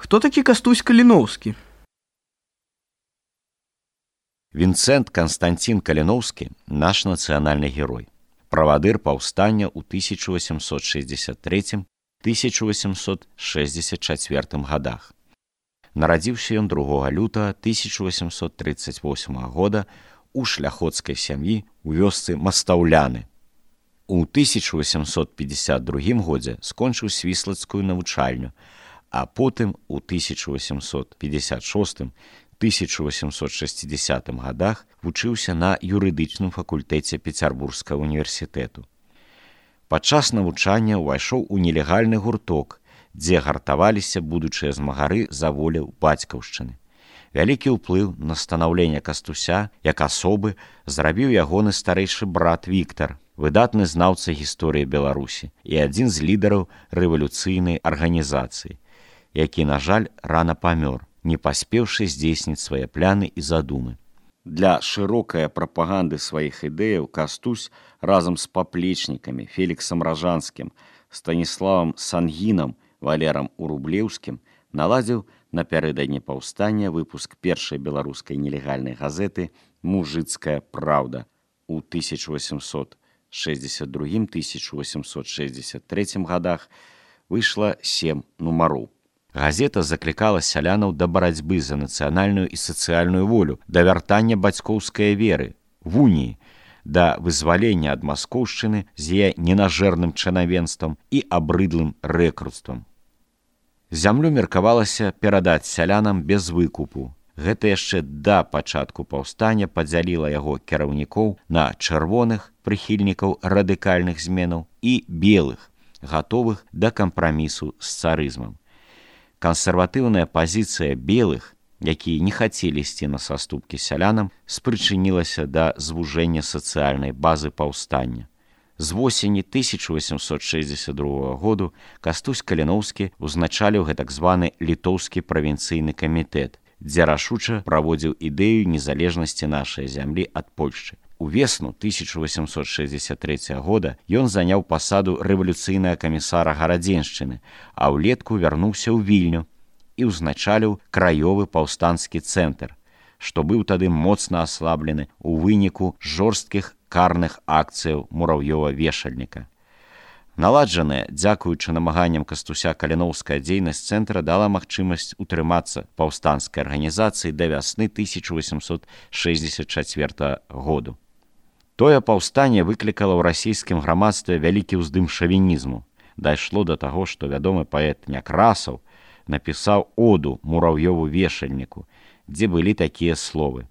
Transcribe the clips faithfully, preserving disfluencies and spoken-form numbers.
Хто такі Кастусь Каліноўскі? Вінцэнт Канстанцін Каліноўскі – наш нацыянальны герой. Правадыр паўстання ў тысяча васемсот шэсцьдзесят трэцім — тысяча васемсот шэсцьдзесят чацвёртым гадах. Нарадзіўся ён другога лютага тысяча васемсот трыццаць восьмага года у шляхоцкай сям'і ў вёсцы Мастаўляны. У тысяча васемсот пятьдесят другім годзе скончыў свіслацкую навучальню, а потым у тысяча васемсот пятьдесят шостым — тысяча васемсот шэсцідзесятым гадах вучыўся на юрыдычным факультэце Пецярбургскага універсітэту. Падчас навучання ўвайшоў у нелегальны гурток, дзе гартаваліся будучыя змагары за волю бацькаўшчыны. Вялікі ўплыў на станаўленне Кастуся як асобы зрабіў ягоны старэйшы брат Віктар, выдатны знаўца гісторыі Беларусі і адзін з лідараў рэвалюцыйнай арганізацыі, які, на жаль, рана памёр, не паспеўшы здзейсніць свае пляны і задумы. Для шырокай прапаганды сваіх ідэяў Кастусь разам з паплечнікамі Феліксам Ражанскім, Станіславам Сангінам, Валерам Урублеўскім наладзіў напярэдадні паўстання выпуск першай беларускай нелегальнай газеты «Мужыцкая праўда». У тысяча васемсот шэсцьдзесят другім — тысяча васемсот шэсцьдзесят трэцім гадах выйшла сем нумароў. Газета заклікала сялянаў да барацьбы за нацыянальную і сацыяльную волю, да вяртання бацькоўскай веры, вуніі, да вызвалення ад маскоўшчыны з яе ненажэрным чанавенствам і абрыдлым рэкруцтвам. Зямлю меркавалася перадаць сялянам без выкупу. Гэта яшчэ да пачатку паўстання падзяліла яго кіраўнікоў на чырвоных, прыхільнікаў радыкальных зменаў, і белых, гатовых да кампрамісу з царызмам. Кансерватыўная пазіцыя белых, якія не хацелі ісці на саступкі сялянам, спрычынілася да звужэння сацыяльнай базы паўстання. З восені тысяча васемсот шэсцьдзесят другога году Кастусь Каліноўскі узначаліў гэтак званы літоўскі правінцыйны камітэт, дзе рашуча праводзіў ідэю незалежнасці нашай зямлі ад Польшчы. У весну тысяча васемсот шэсцьдесят трэцяга года ён заняў пасаду рэвалюцыйнага камісара гарадзеншчыны, а ўлетку вярнуўся ў Вільню і ўзначаліў краёвы паўстанскі цэнтр, што быў тады моцна аслаблены ў выніку жорсткіх карных акцыяў мурав'ёва-вешальніка. Наладжаная, дзякуючы намаганням Кастуся Каліноўская дзейнасць цэнтра дала магчымасць утрымацца паўстанскай арганізацыі да вясны тысяча васемсот шэсцьдесят чацвёртага году. Тое паўстанне выклікала ў расійскім грамадстве вялікі ўздым шавінізму. Дайшло да таго, што вядомы паэт Някрасаў напісаў оду мурав'ёву-вешальніку, дзе былі такія словы: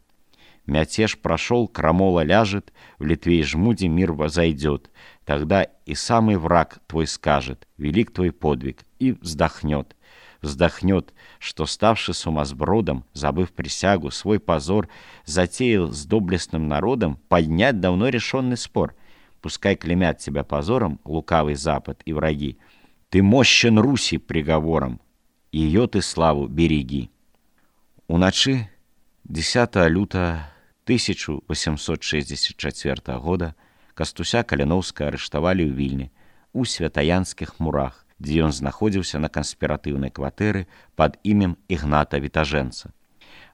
«Мятеж прошел, крамола ляжет, в Литве и жмуде мир возойдет. Тогда и самый враг твой скажет, велик твой подвиг, и вздохнет. Вздохнет, что, ставший сумасбродом, забыв присягу, свой позор, затеял с доблестным народом поднять давно решенный спор. Пускай клеймят тебя позором лукавый Запад и враги. Ты мощен Руси приговором, ее ты славу береги». Уначы дзесятага лютага тысяча васемсот шэсцьдесят чацвёртага года Кастуся Каліноўскага арыштавалі ў Вільні, у святаянскіх мурах, дзе ён знаходзіўся на канспіратыўнай кватэры пад імем Ігната Вітажэнца.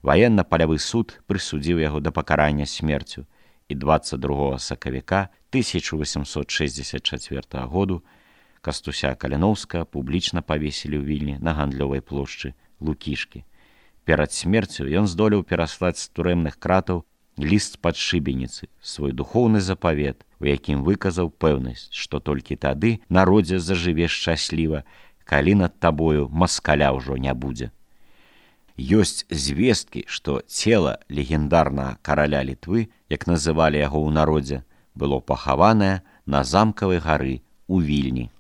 Ваенна-палявы суд прысудзіў яго да пакарання смерцю, і дваццаць другога сакавіка тысяча васемсот шэсцьдесят чацвёртага году Кастуся Каліноўскага публічна павесілі ў Вільні на гандлёвай плошчы Лукішкі. Перад смерцю ён здолеў пераслаць з турэмных кратаў ліст з-пад шыбеніцы, свой духоўны запавет, у якім выказаў пэўнасць, што толькі тады народзе зажыве шчасліва, калі над табою маскаля ўжо не будзе. Ёсць звесткі, што цела легендарнага караля Літвы, як называлі яго ў народзе, было пахаванае на замкавай гары ў Вільні.